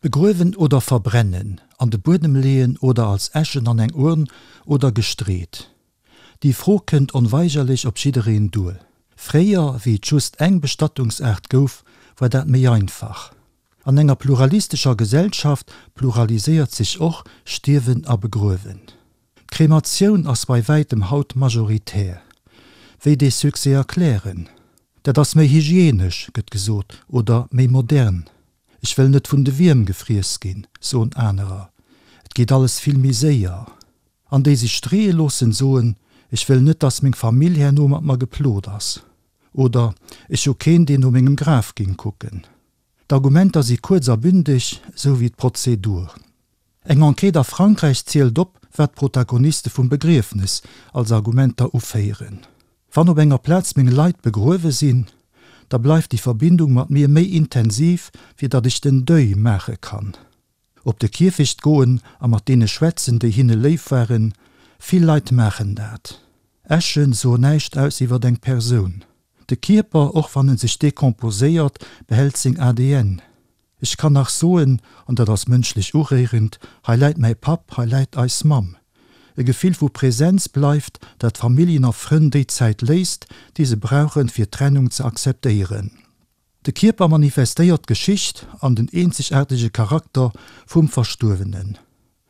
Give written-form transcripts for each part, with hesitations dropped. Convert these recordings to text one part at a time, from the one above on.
Begruewen oder verbrennen, an de Buedem leeën oder als Äschen an eng Urn oder gestreet? Déi Fro kënnt onweigerlech op jiddereen duer. Fréier, wéi et just eng Bestattungsaart gouf, war dat méi einfach. An enger pluralistescher Gesellschaft pluraliséiert sech och Stierwen a Begruewen. D'Krematioun ass bei wäitem haut majoritär. Wéi dee Succès erklären? Dat ass méi hygienesch, gëtt gesot, oder méi modern. Ech wëll net vun de Wierm gefriess ginn, soen anerer. Et geet alles vill méi séier. An déi sech streeë loossen, soen, Ech wëll net, dass meng Famill herno mat mer geplot ass. Oder, Ech hu keen, deen no mengem Graf géing kucken. D'Argumenter si kuerz a bündeg, sou wéi d'Prozedur. Eng Enquête a Frankräich zielt op, wat d'Protagoniste vum Begriefnes als Argumenter uféieren. Wann op enger Plaz meng Leit begruewe sinn, da bleift déi Verbindung mat mir méi intensiv, fir datt ech den Deuil maache kann. Op de Kierfecht goen a mat deene schwätzen, déi hinne léif waren, vill Leit maachen dat. Äschen soen näischt aus iwwert eng Persoun. De Kierper, och wann en sech decomposéiert, behält seng ADN. Ech kann nach soen, an dat ass mënschlech uréierend, hei läit mäi Papp, hei läit eis Mamm. E Gefill vu Präsenz bleift, dat Familljen a Frënn déi Zäit léisst, déi se brauchen, fir d'Trennung ze akzeptéieren. De Kierper manifestéiert d'Geschicht an den eenzegaartege Charakter vum Verstuerwenen.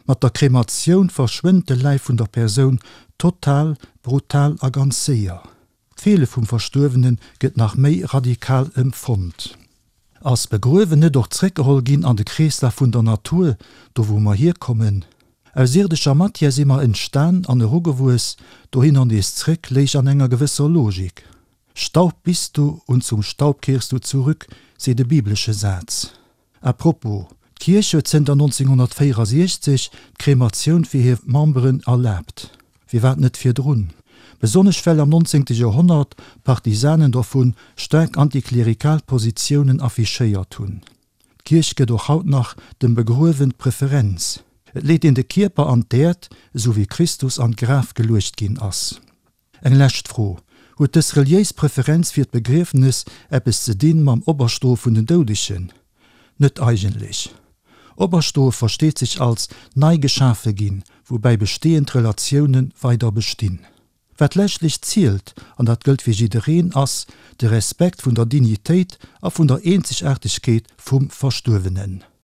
Mat der Krematioun verschwënnt de Läif vun der Persoun total, brutal a ganz séier. D'Feele vum Verstuerwene gëtt nach méi radikal empfonnt. Ass Begruewen net och zréckgeholl ginn an de Kreeslaf vun der Natur, do wou mer hierkommen? Aus ierdescher Matière si mer entstan an erugewuess, dohinner nees zréck léich an enger gewësser Logik. Staub bist du und zum Staub kehrst du zurück, seet e biblesche Saz. À propos, D'Kierch huet zënter 1964 d'Krematioun fir hir Memberen erlaabt. Firwat net virdrun? Besonnesch well am 19. Joerhonnert d'Partisanen dovun staark antiklerikal Positiounen affichéiert hunn. D'Kierch gëtt och haut nach dem Begruewen d'Preferenz. Et leet een de Kierper an d'Äerd, esou wéi Christus an d'Graf geluecht ginn ass. Eng lescht Fro, Huet dës reliéis Preferenz fir d'Begriefnes eppes ze dinn mam Operstoe vun den Doudegen? Net eigentlech. Operstoe versteet sech als nei geschafe ginn, woubäi bestehend Relatioune weider bestinn. Wat leschtlech zielt, an dat gëllt fir jiddereen, ass de Respekt vun der Dignitéit a vun der Eenzegaartegkeet vum Verstuerwenen.